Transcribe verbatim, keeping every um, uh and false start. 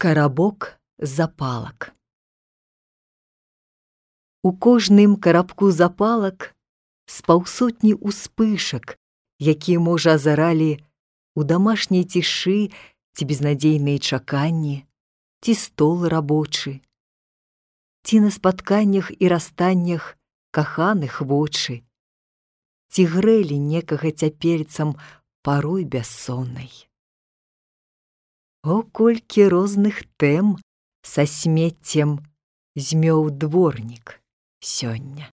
Карабок запалак. У кожным карабку запалак з паўсотні ўспышак, якія, можа, азаралі у дамашняй цішы ці безнадзейныя чаканні, ці стол рабочы, ці на спатканнях і расстаннях каханых вочы, ці грэлі некага цяпельцам парой бяссоннай. О, колькі розных тэм са смеццем змёў дворнік сёння!